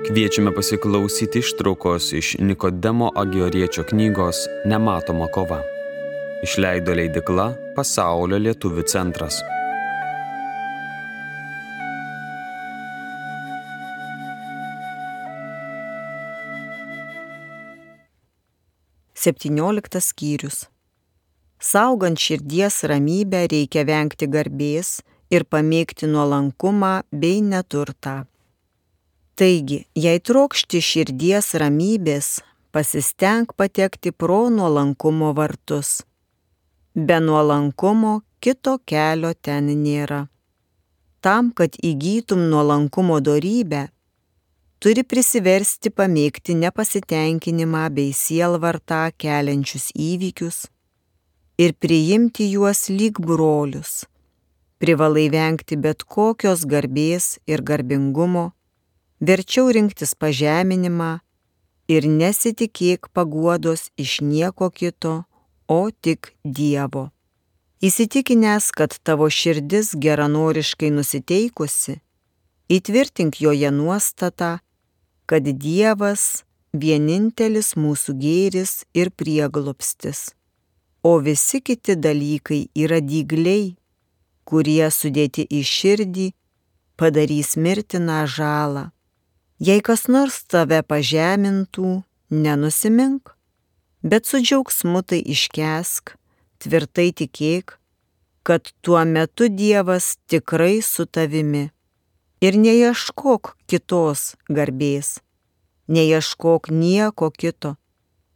Kviečiame pasiklausyti ištraukos iš Nikodemo Agioriečio knygos Nematoma kova. Išleido leidykla Pasaulio lietuvių centras. Septynioliktas skyrius. Saugant širdies ramybę reikia vengti garbės ir pamėgti nuolankumą bei neturtą. Taigi, jei trokšti širdies ramybės, pasistenk patekti pro nuolankumo vartus. Be nuolankumo kito kelio ten nėra. Tam, kad įgytum nuolankumo dorybę, turi prisiversti pamėgti nepasitenkinimą bei sielvartą keliančius įvykius ir priimti juos lyg brolius. Privalai vengti bet kokios garbės ir garbingumo, verčiau rinktis pažeminimą ir nesitikėk paguodos iš nieko kito, o tik Dievo. Įsitikinęs, kad tavo širdis geranoriškai nusiteikusi, įtvirtink joje nuostatą, kad Dievas vienintelis mūsų gėris ir prieglobstis, o visi kiti dalykai yra dygliai, kurie sudėti į širdį padarys mirtiną žalą. Jei kas nors tave pažemintų, nenusimink, bet su džiaugsmu tai iškęsk, tvirtai tikėk, kad tuo metu Dievas tikrai su tavimi. Ir neieškok kitos garbės, neieškok nieko kito,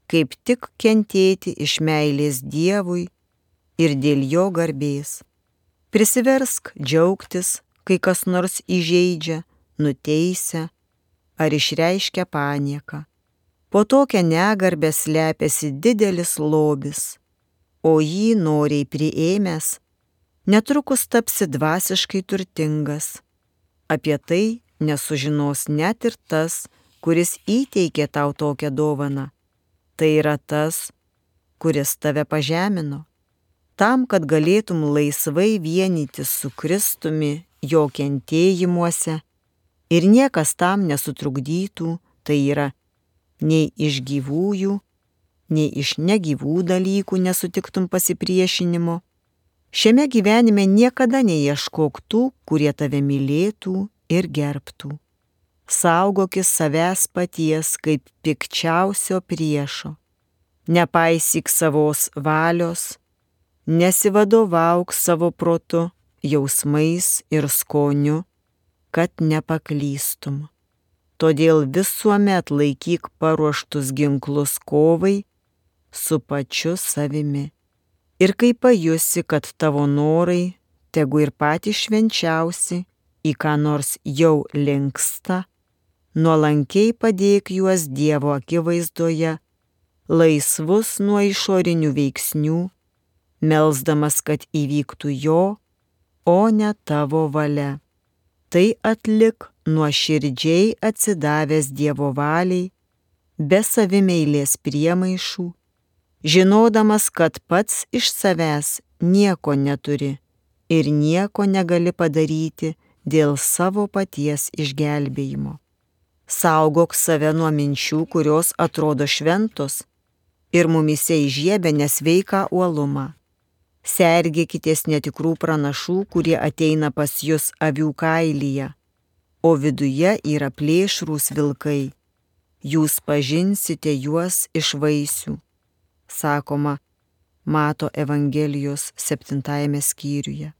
kaip tik kentėti iš meilės Dievui ir dėl jo garbės. Prisiversk džiaugtis, kai kas nors įžeidžia, nuteisia ar išreiškia panieką. Po tokią negarbę slepiasi didelis lobis, o jį noriai priėmęs, netrukus tapsi dvasiškai turtingas. Apie tai nesužinos net ir tas, kuris įteikė tau tokią dovaną. Tai yra tas, kuris tave pažemino. Tam, kad galėtum laisvai vienytis su Kristumi jo kentėjimuose ir niekas tam nesutrukdytų, tai yra nei iš gyvųjų, nei iš negyvų dalykų nesutiktum pasipriešinimo. Šiame gyvenime niekada neieškok tų, kurie tave mylėtų ir gerbtų. Saugokis savęs paties kaip pikčiausio priešo. Nepaisyk savos valios, nesivadovauk savo protu, jausmais ir skoniu, kad nepaklystum. Todėl visuomet laikyk paruoštus ginklus kovai su pačiu savimi. Ir kai pajusi, kad tavo norai, tegu ir patys švenčiausi, į ką nors jau linksta, nuolankiai padėk juos Dievo akivaizdoje, laisvus nuo išorinių veiksnių, melsdamas, kad įvyktų jo, o ne tavo valia. Tai atlik nuoširdžiai atsidavęs Dievo valiai, be savimeilės priemaišų, žinodamas, kad pats iš savęs nieko neturi ir nieko negali padaryti dėl savo paties išgelbėjimo. Saugok save nuo minčių, kurios atrodo šventos ir mumyse įžiebia nesveiką uolumą. Sergėkitės netikrų pranašų, kurie ateina pas jus avių kailyje, o viduje yra plėšrūs vilkai. Jūs pažinsite juos iš vaisių, sakoma Mato Evangelijos 7 skyriuje.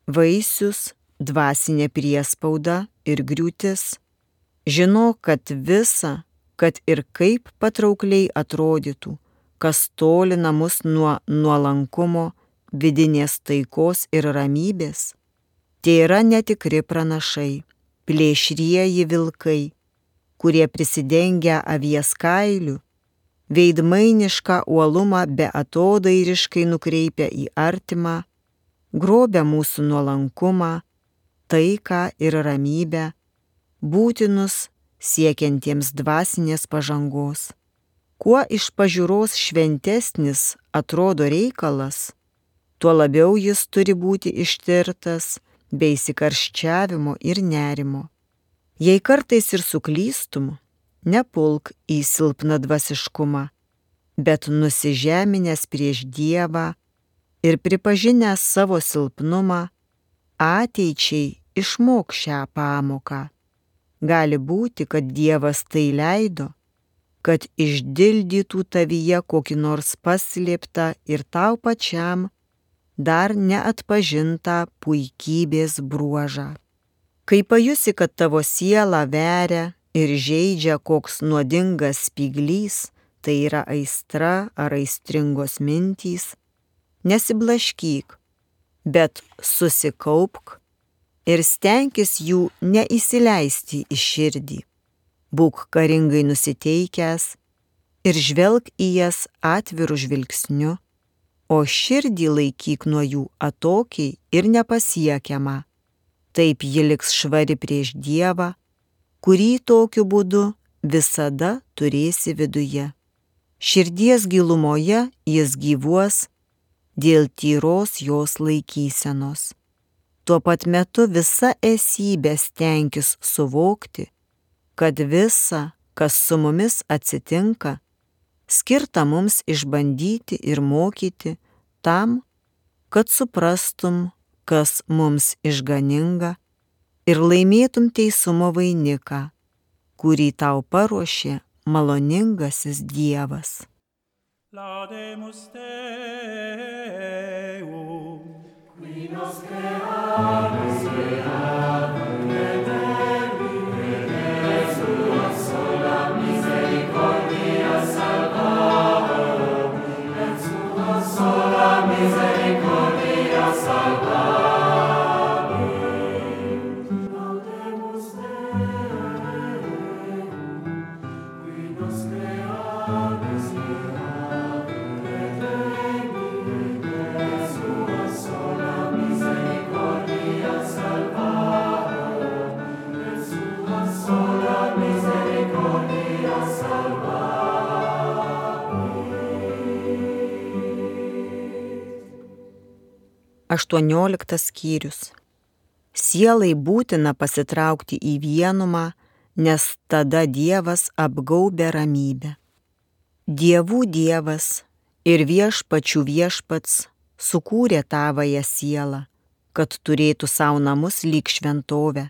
Vaisius, dvasinė priespauda ir griūtis. Žinok, kad visa, kad ir kaip patraukliai atrodytų, kas tolina mus nuo nuolankumo, vidinės taikos ir ramybės, tai yra netikri pranašai, plėšrieji vilkai, kurie prisidengia avies kailiu, veidmainišką uolumą beatodairiškai nukreipia į artimą, grobia mūsų nuolankumą, taiką ir ramybę, būtinus siekiantiems dvasinės pažangos. Kuo iš pažiūros šventesnis atrodo reikalas, tuo labiau jis turi būti ištirtas be įsikarščiavimo ir nerimo. Jei kartais ir suklystum, nepulk į silpną dvasiškumą, bet nusižeminęs prieš Dievą ir pripažinęs savo silpnumą, ateičiai išmok šią pamoką. Gali būti, kad Dievas tai leido, kad išdildytų tavyje kokį nors paslėptą ir tau pačiam dar neatpažintą puikybės bruožą. Kai pajusi, kad tavo sielą veria ir žeidžia koks nuodingas spyglys, tai yra aistra ar aistringos mintys, nesiblaškyk, bet susikaupk ir stenkis jų neįsileisti į širdį. Būk karingai nusiteikęs ir žvelk į jas atviru žvilgsniu, o širdį laikyk nuo jų atokiai ir nepasiekiamą. Taip ji liks švari prieš Dievą, kurį tokiu būdu visada turėsi viduje. Širdies gilumoje jis gyvuos dėl tyros jos laikysenos. Tuo pat metu visa esybė stenkis suvokti, kad visa, kas su mumis atsitinka, skirta mums išbandyti ir mokyti tam, kad suprastum, kas mums išganinga ir laimėtum teisumo vainiką, kurį tau paruošė maloningasis Dievas. Laudemus Deum, qui nos creamus creavum et sua sola misericordia salvarum, et sua sola misericordia salvarum. Laudemus Deum, qui nos creamus creavum et sua sola misericordia salvarum, et sua sola misericordia salvarum. 18 skyrius. Sielai būtina pasitraukti į vienumą, nes tada Dievas apgaubia ramybę. Dievų Dievas ir viešpačių viešpats sukūrė tavąją sielą, kad turėtų savo namus lyg šventovę.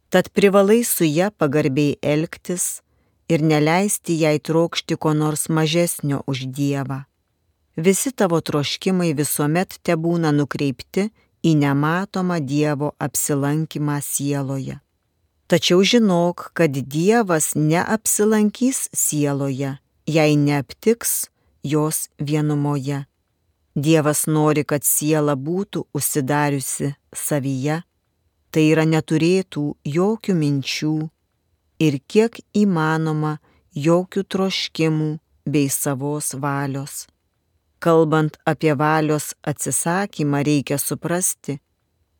Tad privalai su ja pagarbiai elgtis ir neleisti jai trokšti ko nors mažesnio už Dievą. Visi tavo troškimai visuomet tebūna nukreipti į nematomą Dievo apsilankymą sieloje. Tačiau žinok, kad Dievas neapsilankys sieloje, jei neaptiks jos vienumoje. Dievas nori, kad siela būtų užsidariusi savyje, tai yra neturėtų jokių minčių ir kiek įmanoma jokių troškimų bei savos valios. Kalbant apie valios atsisakymą, reikia suprasti,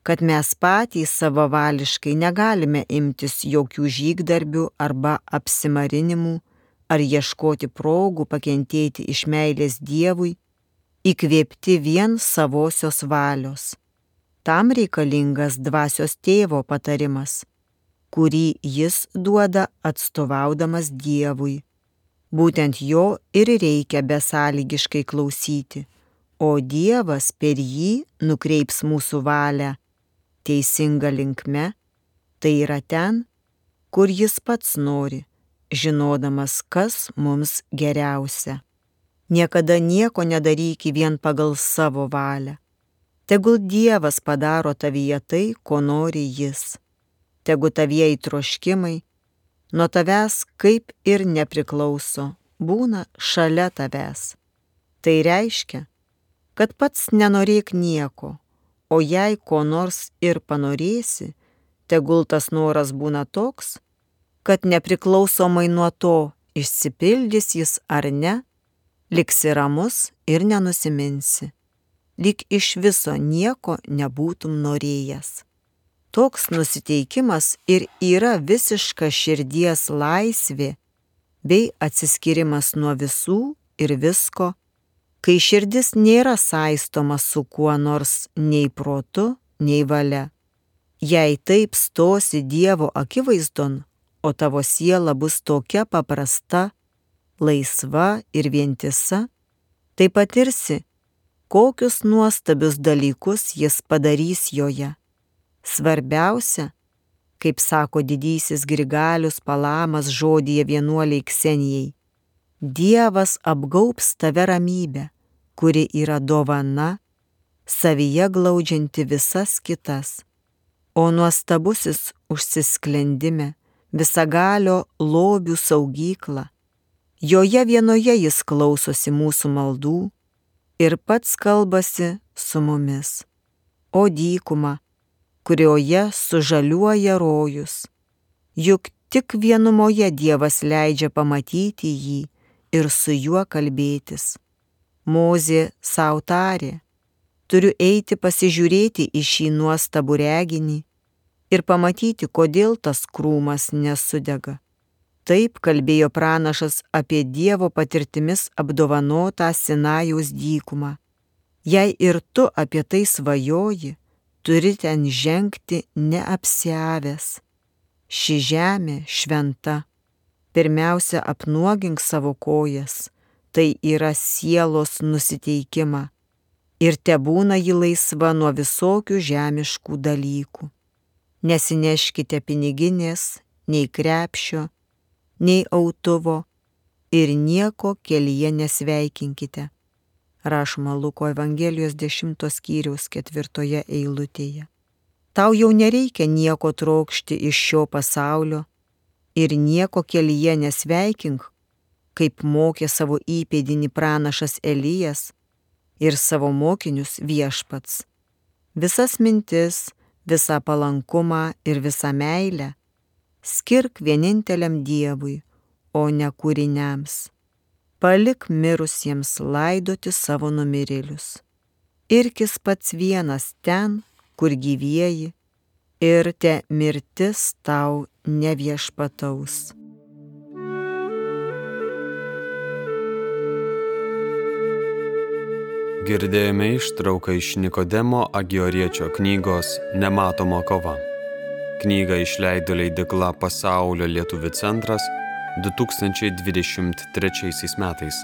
kad mes patys savavališkai negalime imtis jokių žygdarbių arba apsimarinimų ar ieškoti progų pakentėti iš meilės Dievui, įkvėpti vien savosios valios. Tam reikalingas dvasios tėvo patarimas, kurį jis duoda atstovaudamas Dievui. Būtent jo ir reikia besąlygiškai klausyti, o Dievas per jį nukreips mūsų valią teisinga linkme, tai yra ten, kur jis pats nori, žinodamas, kas mums geriausia. Niekada nieko nedaryk vien pagal savo valią. Tegul Dievas padaro tavyje tai, ko nori jis. Tegu tavieji troškimai nuo tavęs kaip ir nepriklauso, būna šalia tavęs. Tai reiškia, kad pats nenorėk nieko, o jei ko nors ir panorėsi, tegul tas noras būna toks, kad nepriklausomai nuo to, išsipildys jis ar ne, liksi ramus ir nenusiminsi, lyg iš viso nieko nebūtum norėjęs. Toks nusiteikimas ir yra visiška širdies laisvė bei atsiskyrimas nuo visų ir visko, kai širdis nėra saistoma su kuo nors nei protu, nei valia. Jei taip stosi Dievo akivaizdon, o tavo siela bus tokia paprasta, laisva ir vientisa, tai patirsi, kokius nuostabius dalykus jis padarys joje. Svarbiausia, kaip sako didysis Grigalius Palamas žodyje vienuoliai Ksenijai, Dievas apgaubs tave ramybę, kuri yra dovana, savyje glaudžianti visas kitas, o nuostabusis užsisklendime visagalio lobių saugykla. Joje vienoje jis klausosi mūsų maldų ir pats kalbasi su mumis. O dykuma, kurioje sužaliuoja rojus, juk tik vienumoje Dievas leidžia pamatyti jį ir su juo kalbėtis. Mozė sau tarė, turiu eiti pasižiūrėti į šį nuostabų reginį ir pamatyti, kodėl tas krūmas nesudega. Taip kalbėjo pranašas apie Dievo patirtimis apdovanotą Sinajaus dykumą. Jei ir tu apie tai svajoji, turi ten žengti neapsiavęs. Ši žemė šventa. Pirmiausia, apnuogink savo kojas, tai yra sielos nusiteikimą, ir tebūna ji laisva nuo visokių žemiškų dalykų. Nesineškite piniginės, nei krepšio, nei autuvo ir nieko kelyje nesveikinkite. Rašoma Luko Evangelijos 10 skyriaus 4 eilutėje. Tau jau nereikia nieko trokšti iš šio pasaulio ir nieko kelyje nesveikink, kaip mokė savo įpėdinį pranašas Elijas ir savo mokinius Viešpats. Visas mintis, visą palankumą ir visą meilę skirk vieninteliam Dievui, o ne kūriniams. Palik mirusiems laidoti savo numirėlius. Irkis pats vienas ten, kur gyvieji, ir te mirtis tau neviešpataus. Girdėjome ištrauką iš Nikodemo Agioriečio knygos Nematoma kova. Knygą išleido leidykla Pasaulio lietuvių centras 2023 metais.